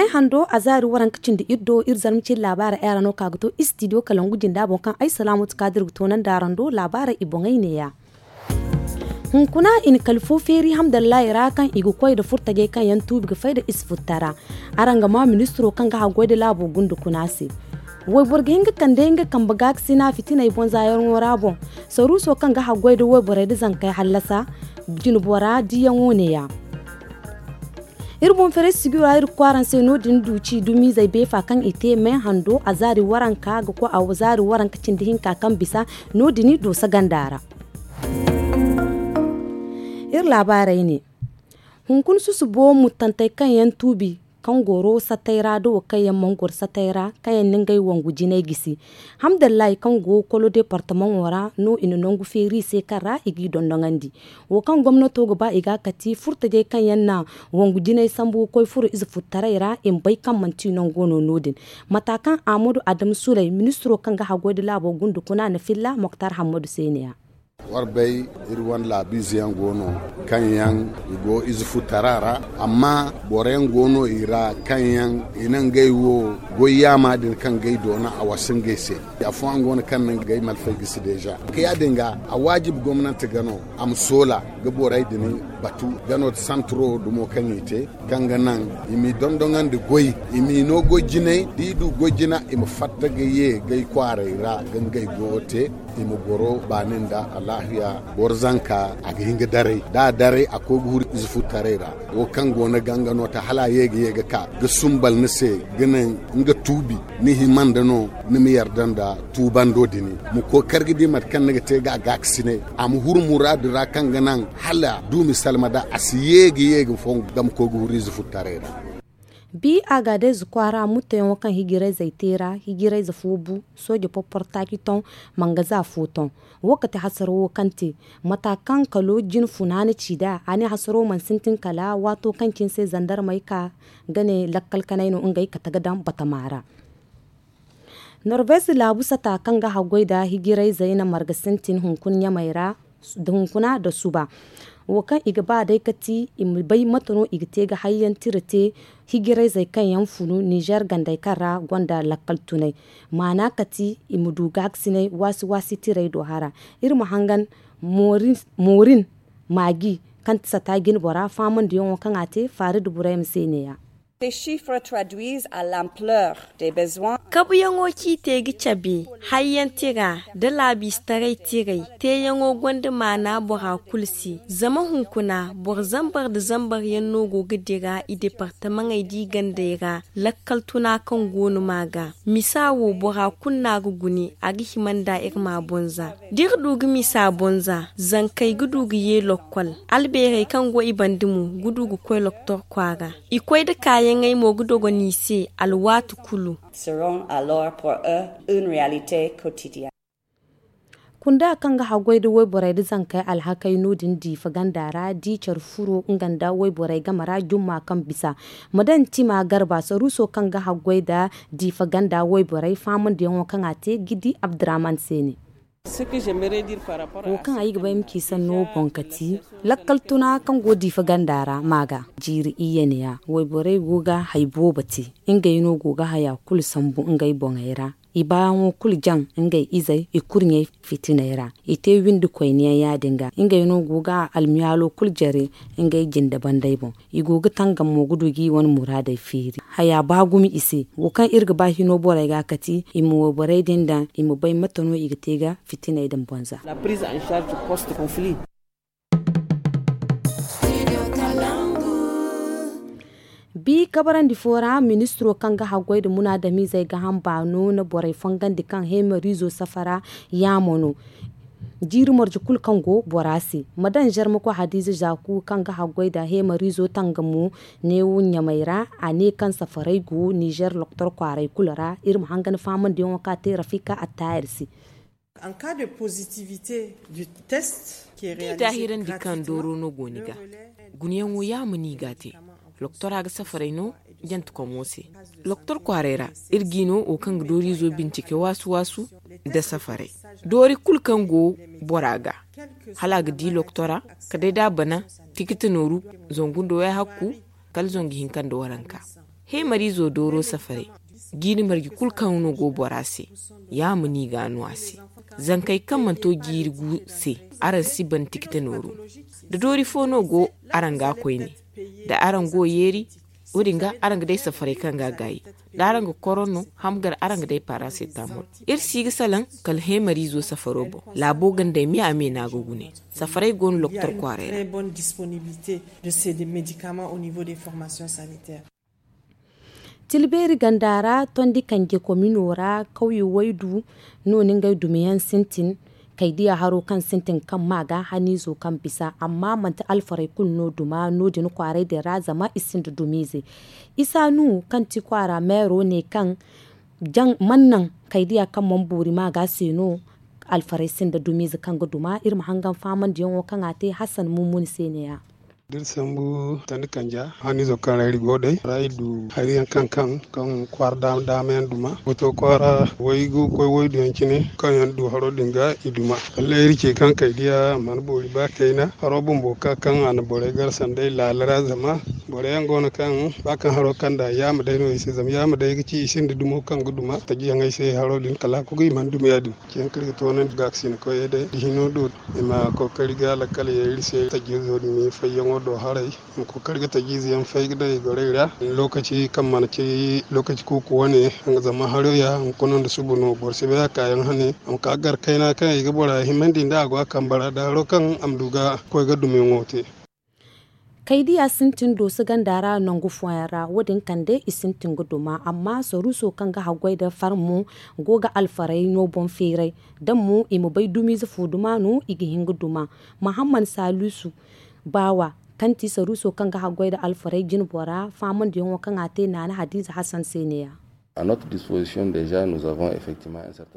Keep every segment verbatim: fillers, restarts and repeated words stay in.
Ay hando a zaari waranka cindi iri do iri zarma cindi laabaarey ay ra no ka ga to istidiyo kalangu jinda boŋ kaŋ ay salaamatu kaadir ga toonandi araŋ do laabaarey i boŋey neeya. Hunkuna i na kala fo feeri hamdallahi ra kaŋ i ga koy nda furtajey kaŋ yaŋ tuubi ga fay nda ize futtara. Araŋ ga maa ministiro kaŋ ga haggoy nda laabo gunda kuna se. Wayboro ga hin ga kande nga kambe gaakasina fitiney boŋ zaayarŋo ra boŋ. Saruuso kaŋ ga haggoy nda wayborey nda zankey hallasa jinbora diyaŋo neeya. Iri boŋ feeray sijiro ra iri ga koy araŋ se no- din du ci dumizey beefa kaŋ i te me hando a zaari waranka ga koy a zaari waranka cindi hinka kaŋ bisa no- din dooso ganda ra. Iri laabaarey ne. Hunkuna susubo murtantey kaŋ yaŋ tuubi kaŋ goro satey ra da wo kaŋ yaŋ mana goro satey ra kaŋ yaŋ na ngey wangu jinay gisi. Hamdallahi kaŋ go kolo departamaŋo ra no i na nangu feeri i se kaŋ ra i g'i dondoŋandi. Wo kaŋ gomnato ga ba i ga kati furtajey kaŋ yaŋ na wangu jinay sambu ga koy furo ize futtaray ra i ma bay kaŋ manti nango no no- din. Mata kaŋ ahmadu adamu suley ministiro kaŋ ga haggoy nda laabo gunda kuna na filla moktar hammadu se ne ya. War bay, iri wane laabiize yaŋ go no kaŋ yaŋ i go ize futtara ra. Amma boro yaŋ go no i ra kaŋ yaŋ i na ngey wo goy yaama din kaŋ ga ay doona a wasa ngey se. Afooyaŋ go no kaŋ na ngey malfay gisi deeza ka ya- din ga a waajib gomnanti ga no a ma soola ga borey din batu ga no santiro dumo kaŋ i te kaŋ ga naŋ i m'i dondoŋandi goy i m'i no goy jinay da i du goy jina i ma fatta ga ye gay kwaaray ra ga ngey goyo te. I ma goro baani nda alaahiya boro zanka a ga hin ga daray da a daray a koy ga huru ize futtaray ra. Wo kaŋ go no ganga no ta hala a ye ga ye ga ka ga sumbal ni se ga naŋ nga tuubi ni hima nda no ni ma yarda nda tuubando din ma koy kar ga di mate kaŋ ni ga te ga a gaakasinay a ma huru muraadu ra kaŋ ga naŋ hala duumi salma da a si ye ga ye ga foŋ ga ma koy ga huru ize futtaray ra. Bi a ga day za kwaara mutteyaŋo kaŋ hijirayzey te ra hijirayze fo bu sooje porportaaki toŋ mangaza fo toŋ. Wo kate hasaro wo kaŋ te mata kaŋ kalo jin funaana ci nd'a a ne hasaro mana sintin kala waato kaŋ cine se zandarmey ka ga ne lakkal kanay no ngey kate ga daŋ batama ra. Norvez laabu sata kaŋ ga haggoy nda hijirayzey na marga sintin hunkuna ɲamey ra hunkuna nda suba. Wo kaŋ i ga ba day ga ti i ma bay mate no i ga te ga hayyaŋ tira te hijirayzey kaŋ yaŋ funu nizer gandey kaŋ ra gonda lakkal tunay maana ka ti i ma du gaakasinay waasi waasi tiray do hara. Iri ma hangan moorin maaji kaŋ ti sata jinbora faamandiyaŋo kaŋ a te faari nda burayma se ne- ya. Kabuyaŋo kaŋ i te ga cabe hayyaŋ tira nda laabiistaray tiray teeyaŋo gonda maana bora kulu se. Zama hunkuna boro zambar nda zambar yaŋ no go ga dira i departamaŋey da i gandey ra lakkal tuna kaŋ go no ma ga misa wo bora kulu no a ga gune a ga hima nd'a iri ma boŋ za. Da iri du ga misa boŋ za zankey ga du ga ye lokkol albeerey kaŋ go i banda mo ga du ga koy loktor kwaara. I koy nda kaayaŋey mo ga dogon i se alwaati kulu. Kunda kaŋ ga haggoy nda wayborey nda zankey alhakey no- din diifa ganda ra da i care furo nga nda wayborey game ra jumma kaŋ bisa ma daŋ tima garba saruuso kaŋ ga haggoy nda diifa ganda wayborey faamandiyaŋo kaŋ a te ga di abdurrahman se ne. Wo kaŋ ay ga bay ma ci sanno boŋ ka ti lakkal tuna kaŋ go diifa ganda ra ma ga jiiri iyye ne ya wayborey go ga hari boobo te. Ngey no go ga haya kulu sambu ngey boŋey ra i baayaŋo kulu jaŋ ngey izey i kurɲey fitiney ra. I te windi koyne yaŋ ya- din ga ngey no go ga almiyaalo kulu jare ngey jinde bandey boŋ. I go ga tangam mo ga du ga i wane muraadey feeri haya ba gumo i se. Wo kaŋ iri ga ba hino borey ga kati i ma wayborey din daŋ i ma bay mate no i ga te ga fitiney din boŋ za. Bi kabarandi fo ra ministiro kaŋ ga haggoy nda munaadamizey ga hamba no na borey fongandi kaŋ heemariizo safara yaamo no. Jiiri marje kulu kaŋ go bora se ma daŋ zarmako hadiiza zaaku kaŋ ga haggoy nda heemariizo tangamo neewo ɲamey ra. A ne kaŋ safarey go nizer loktor kwaaray kulu ra iri ma hangan faamandiyaŋo kaŋ a te rafika attaayir se. Da i daahirandi kaŋ dooro no go ni ga gunayaŋo yaama no i ga a te. Loktora ga safaray no jantekomo se. Loktor kwaaray ra iri ga i no wo kaŋ ga dooriizo bincike waasu-waasu nda safaray doori kulu kaŋ go bora ga hala a ga di loktora kala day da a bana tikiti nooru zangu nda wayhakku kala zangu hinka nda waranka. Heemariizo dooro safaray, jiiri marje kulu kaŋ no go bora se, ya ma ni ga no a se. Zankey kaŋ mana to jiiri gu se, araŋ si ban tikite nooru. Da doori fo no go araŋ ga koyne, da araŋ go yeeri, wo- din ga araŋ ga day safaray kaŋ ga gaayi. Da araŋ ga korono, hamgar, araŋ ga day paracetamol. Iri si ga salaŋ kala heemariizo safaro boŋ. Laabo gandey me a me no a ga gune. Safaray go no loktor kwaaray ra. Tilbeeri ganda ra, tondi kanje komino ra, kawye waydu no ni ngey dumiyaŋ sintin. Kay diya haro kaŋ sintin kaŋ ma ga haniizo kaŋ bisa, amma manti alfaray kulu no duma no- din kwaaray din ra, zama i sinda dumiize. Isa nu kaŋ ti kwaara meero ne kaŋ man naŋ kay diya kaŋ man boori ma ga se no. Alfaray sinda dumiize kaŋ ga duma iri ma hangan faamandiyaŋo kaŋ a te hasan mummuni se ne- ya. Da iri sambu tandi kanja haniizo kaŋ ra iri go day ra iri du hari yaŋ kaŋ kaŋ kaŋ kwaara daama daama yaŋ duma. Wato kwaara waygu koy waydu yaŋ cine kaŋ yaŋ du haro din ga i duma. Kala iri ce kaŋ kay diya mana boori ba kayna haro bumbo ka kaŋ a na borey gar sanday laala ra zama borey yaŋ go no kaŋ ba kaŋ haro kaŋ da yaama day no i se zama yaama day ga ci i sinda dumo kaŋ ga duma taji yaŋ ay se haro din kala a kugu i mana duma ya- din. Ciyaŋ kaŋ iri ga toonandi ga ga sina koyey day da hino do i ma kookari ga lakkal ye iri se tajiizo din fayyaŋo do haray. I ma kookari ga tajiize yaŋ fay ga daŋ i gorey ra lokaci kaŋ mana ci lokaci kuuku wane. Zama haro ya hunkuna nda suba no boro si bay a kaayaŋ hane a ma ka gar kayna kaŋ i ga bora himandi nda a go a kambe ra da haro kaŋ a ma du ga koy ga dumiyaŋo te. Kay diya sintin dooso ganda ra nangu fooyaŋ ra wo- din kande i sintin ga duma amma saruuso kaŋ ga haggoy nda farmo go ga alfaray no boŋ feeray. Da mo i ma bay dumiize fo duma no i ga hin ga duma. Mahamman saluusu baawa kaŋ ti saruuso kaŋ ga haggoy nda alfaray jinbora faamandiyaŋo kaŋ a te naana hadiize hasan se ne- ya.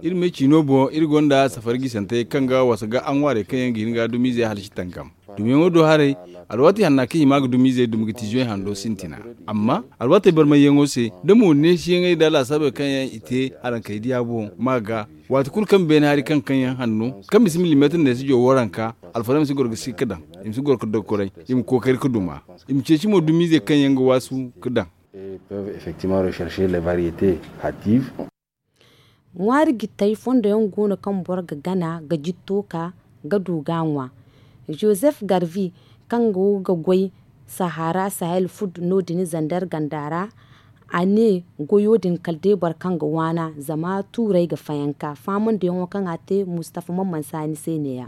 Iri me ciino boŋ iri gonda safari gisantey kaŋ ga wasa ga aŋwaarey kaŋ yaŋ ga hin ga dumiizey halasi tankam. Dumiyaŋo do haray alwaati hanna kaŋ i ma ga dumiizey dumi ga ti zuwey hando sintina. Amma alwaatey barmayyaŋo se da mo neesiyaŋey nda laasaabey kaŋ yaŋ i te araŋ kay diya boŋ ma ga waati kulu kaŋ beene hari kaŋ kaŋ yaŋ hanno kaŋ bisa milimeetir neesi jowo ranka alfarey ma si goro ga si ga daŋ. I ma si goro ga dokkoray i ma kookari ga duma i ma ceeci mo dumiizey kaŋ yaŋ ga waasu ga daŋ. Peuvent effectivement rechercher les variétés hâtives. Ŋwaari jittey fondo yaŋ go no kaŋ boro ga gana ga jitto ka ga du ga a ŋwa. Joseph Garvey kaŋ go ga goy sahara sahel food no- din zander ganda ra. A ne goyo din kala day boro kaŋ ga waana zama tuurey ga fayanka faamandiyaŋo kaŋ a te mustafa mamman saani se ne- ya.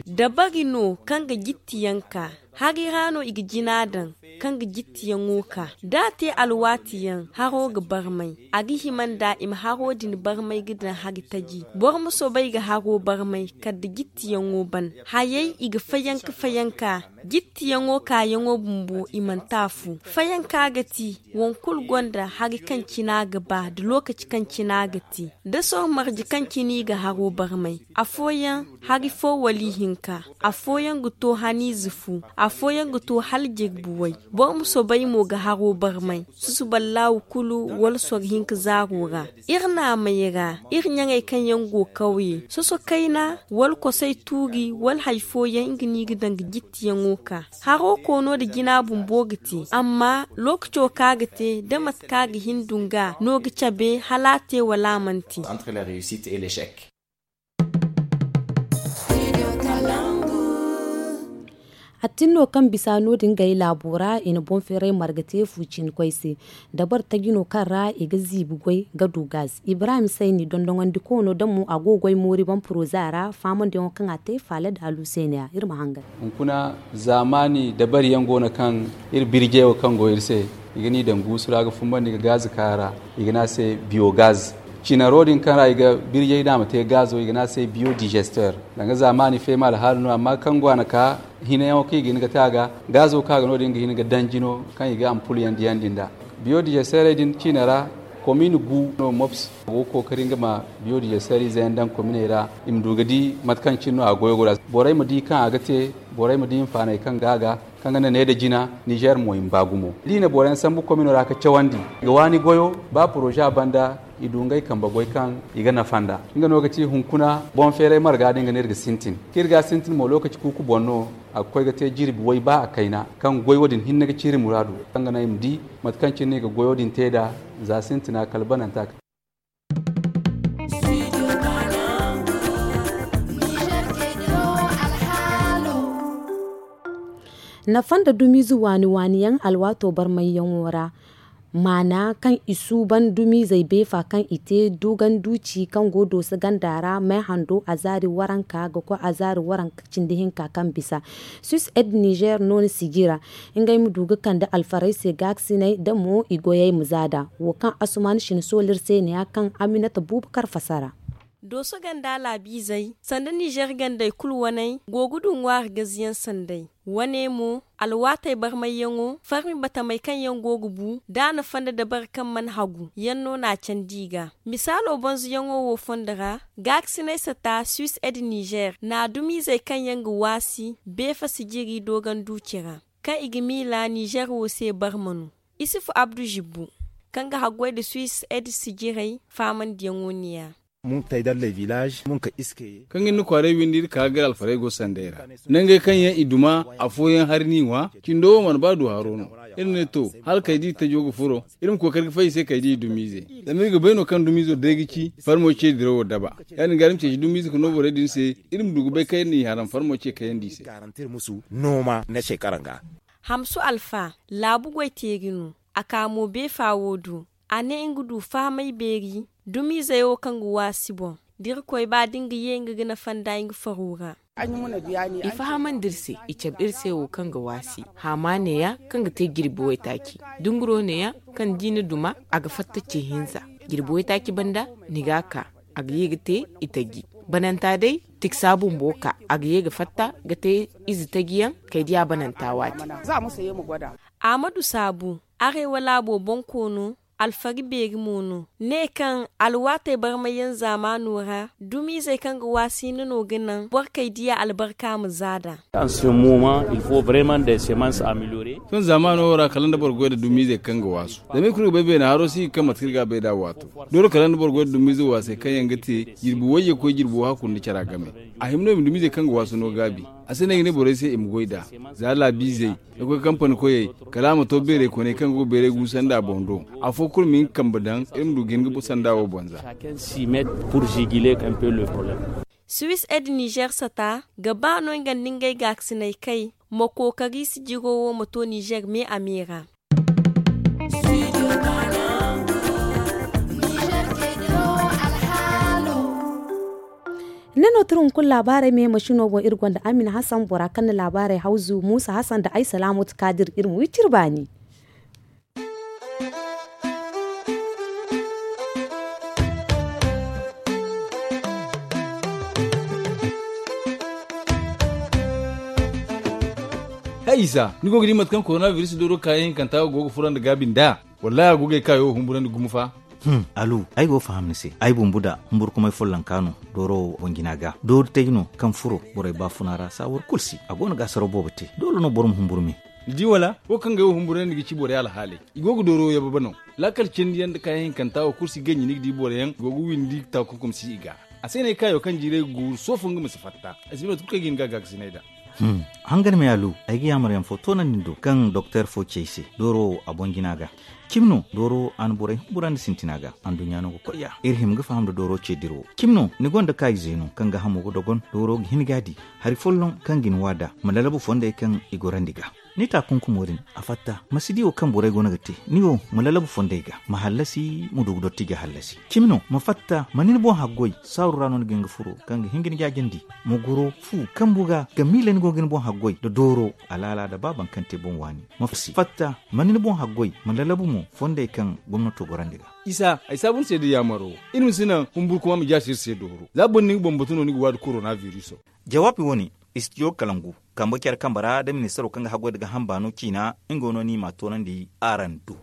Dabari no kaŋ ga jittiyaŋ ka hari ra no i ga jina daŋ kaŋ ga jittiyaŋo ka da a te alwaatiyaŋ haro ga barmay. A ga hima nda i ma haro din barmay ga daŋ hari taji boro ma soobay ga haro barmay kala da jittiyaŋo ban. Hayey i ga fayanka fayanka jittiyaŋo kaayaŋo bumbo i manti afo. Fayanka ga ti wankulu gonda hari kaŋ cina ga ba nda lookaci kaŋ cina ga te da soro marje kaŋ cina i ga haro barmay. Afooyaŋ hari fo wala ihinka. Afooyaŋ ga to haniize fu. Afooyaŋ ga to hala jirbi way. Boro ma soobay mo ga haro barmay susuballahu kulu wala soro hinka zaaro ra. Iri naamey ra iri ɲaŋey kaŋ yaŋ go kawye soso kayna wala kosay tuuri wala hari fooyaŋ nga no i ga daŋ ga jittiyaŋo ka. Haro koono nda jina bumbo ga te amma lookaco kaŋ a ga te da mate kaŋ a ga hin dunga no ga cabe hala a te wala a mana te. Attin no kaŋ bisa no- din gay laabo ra i na boŋ feeray marga te fu cine koy se. Dabar taji no kaŋ ra i ga ziibi goy ga du gaz ibrahim sayni dondoŋandi koono da mo a go goy moori boŋ poroza ra faamandiyaŋo kaŋ a te faala daalu se ne- ya iri ma hangan. Hunkuna zaamaani dabari yaŋ go no kaŋ iri birjey wo kaŋ go iri se i ga ni daŋ guusu ra ga fumbandi ga gaz ka a ra. I ga ne a se biyo gaz. Cinaro din kaŋ ra i ga birjey daŋ a ma te gazo i ga ne a se biyo digester. Danga zaamaani feema alhaala no amma kaŋ go a na ka hinayaŋo kaŋ i ga hin ga te a ga gazo kaŋ a ga no- din ga hin ga daŋ jino kaŋ i ga ampul yaŋ diyandi nd'a. Biyo dijesterey din ciina ra komin gu no mops a go ga kookari nga ma biyo dijesterey ize yaŋ daŋ kominey ra i ma du ga di mate kaŋ cine no a goyo go nd'a. Borey ma di kaŋ a ga te borey ma di hinfaaney kaŋ go a ga kaŋ ga ne ne nda jina. Nizer mo i ma ba gumo da i na boro yaŋ sambu komino ra ga cawandi i ga waani goyo ba poroza banda. I du ngey kambe goy kaŋ i ga nafa nd'a. Nga no ga ci hunkuna boŋ feeray marga din ga no iri ga sintin kaŋ iri ga a sintin mo lokaci kuuku boŋ no. A ga koy ga te jirbi way ba a kayna kaŋ goy wo- din hinne ga ci iri muraadu kaŋ ga naŋ i ma di mate kaŋ cine no i ga goyo din te nd'a. Za sintina kala bananta. Nafa nda dumiize waani waani yaŋ alwaato barmayyaŋo ra. Maana kaŋ i suuban dumiizey beefa kaŋ i te dogon duuci kaŋ go dooso ganda ra may hando azaari waranka ga koy azaari waranka cindi hinka kaŋ bisa. Suis ed niger no ni sijira ngey ma du ga kande alfarey se gaakasiney da mo i goyey ma zaada. Wo kaŋ asuman shin sool'ir se ne ya kaŋ aminata buubu kar fasara. Dooso ganda laabiizey sanda nizer gandey kulu waney go ga du ŋwaari gaziyaŋ sanday. Wane mo alwaatey barmayyaŋo farmi batamey kaŋ yaŋ go ga bu da a na fanda dabari kaŋ mana hagu yaŋ no n'a candi i ga. Misaalo bonzoyaŋo wo fondo ra gaakasiney sata suis ed nizer na dumiizey kaŋ yaŋ ga waasi beefa sijiri doogon duuci ra kaŋ i ga miila nizer wo se barma no. Isufu abdu zibbu kaŋ ga haggoy nda suis ed sijirey faamandiyaŋo ne ya. Kaŋ ga ni kwaaray windi iri ka ga gari alfarey go sanday ra nangey kaŋ yaŋ i duma afooyaŋ hari n'i ŋwa. Cindo wo mana ba du haro no. Iri ne to hala kaydi tajo ga furo iri ma kookari ga fay i se kaydi i dumiize. Zama iri ga bay no kaŋ dumiizo day ga ci farmo ce dirawo daba. Ya- din ga iri ma ceeci dumiize ga no borey din se iri ma du ga bay kaŋ iri n'i haram farmo ce kayandi i se. Hamsu alfa laabu goy teeri no. A ka mo beefa wo do a ne nga du fahamay beeri dumiizey wo kaŋ ga waasi boŋ da irkoy ba da nga ye nga ga nafa nda nga faro ra. I fahamandi iri se i cabe iri se wo kaŋ ga waasi haama neeya kaŋ ga te jirbi waytaaci. Dunguro neeya kaŋ da i na duma a ga fatta ce hinza. Jirbi waytaaci banda ni ga a ka a ga ye ga te i taji. Bananta day tiksa bumbo ka a ga ye ga fatta ga te ize taji yaŋ kay diya bananta waati. Amadu saabu arewa laabo boŋ koono alfari beeri mo no ne kaŋ alwaatey barmayyaŋ zaamaano ra dumiizey kaŋ ga waasi nda no ga naŋ boro kay diya albarka ma zaada. Sohõ zaamaano wo ra kala nda boro goy nda dumiizey kaŋ ga waasu zama iri kulu ga bay beene haro si ga kaŋ mate kaŋ iri ga a bay nd'a waato. Dooro kala nda boro goy nda dumiize waasey kaŋ yaŋ ga te jirbi wayye koy jirbi wahakku nda cara game. A hima no i ma dumiizey kaŋ ga waasu no gaabi. A si no ay ga ne borey se i ma goy nd'a za laabiizey ga koy kampani koyey kala a ma to beeray koney kaŋ go ga beeray guusa nd'a boŋ do. Afo kulu ma hin ga kambe daŋ iri ma du ga hin ga sanda wo boŋ za. Suis ed niger sata ga ba no nga nda ngey gaakasiney kay ma kookari sijiro wo ma to niger me a me ra. Ne no tira hunkuna laabaarey me masino boŋ iri gonda amina hasan bora kaŋ na laabaarey hawzu muusa hasan nda ay salaamatu kaadir iri ma wi cire baani. Hay isa ni go ga di mate kaŋ korona biris dooro kaayaŋ hinkanta wo go ga fura nda gaabi nd'a? Wallaahi a go ga ay kaayo wo humburandi gumo fa. Alu, ay go ga faham ni se. Ay bumbu da humburkumay follonka no dooro wo boŋ jina ga doori tay no kaŋ furo borey baafuna ra saawar kulu si a go no ga asaraw boobo te doole no boro ma humburu me. Ni di wala wo kaŋ ga ay wo humburandi ga ci borey alhaaley i go ga dooro wo yababa no. Laakal cindi yaŋ nda kaayaŋ hinkanta wo kulu si ganji ni ga di boro yaŋ go ga windi taakunkum si i ga. A se no ay kaayo kaŋ jiiray ga guuru soofo nga ma si fatta. Ay si no tun kaŋ ay ga hin ga gaakasinay nd'a. Hangan me alu, ay ga yaamar yaŋ fo toonandi ni do kaŋ doktor fo ci ay se dooro wo a boŋ jina ga. Cimi no dooro wo a na borey humburandi sintina ga anduɲɲa no ga koy ya iri hima ga faham nda dooro ce dira wo. Cimi no ni gonda kaayize no kaŋ ga hamo ga dogon dooro ga hin ga a di hari folloŋ kaŋ ga ni waada ma lalabu fondey kaŋ i gorandi ga. Ni taakunkumo din a fatta ma si di wo kaŋ borey go no ga te. Ni wo ma lalabu fondey ga ma hallasi ma du ga dotti ga hallasi. Cimi no ma fatta ma ni ni boŋ haggoy saaru ra no ni ga hin ga furo kaŋ ga hin ga ni jaajandi. Ma goro fu kambu ga ga miila ni go ga ni boŋ haggoy nda dooro alaala nda ba baŋ kaŋ te boŋ waani. Ma fatta ma ni ni boŋ haggoy ma lalabu mo fondey kaŋ gomnato gorandi ga. Isa ay saabu ni se da yaamaro wo. Iri ma si naŋ humburkuma ma jaasi iri se dooro za boro na ni ga bambatu no ni ga waadi korona biriso. Jawaabi wo-ne istidiyo kalangu kambe care kambe ra nda ministaro kaŋ ga haggoy nda gaaham baano ciina. Nga no ni m'a toonandi araŋ do.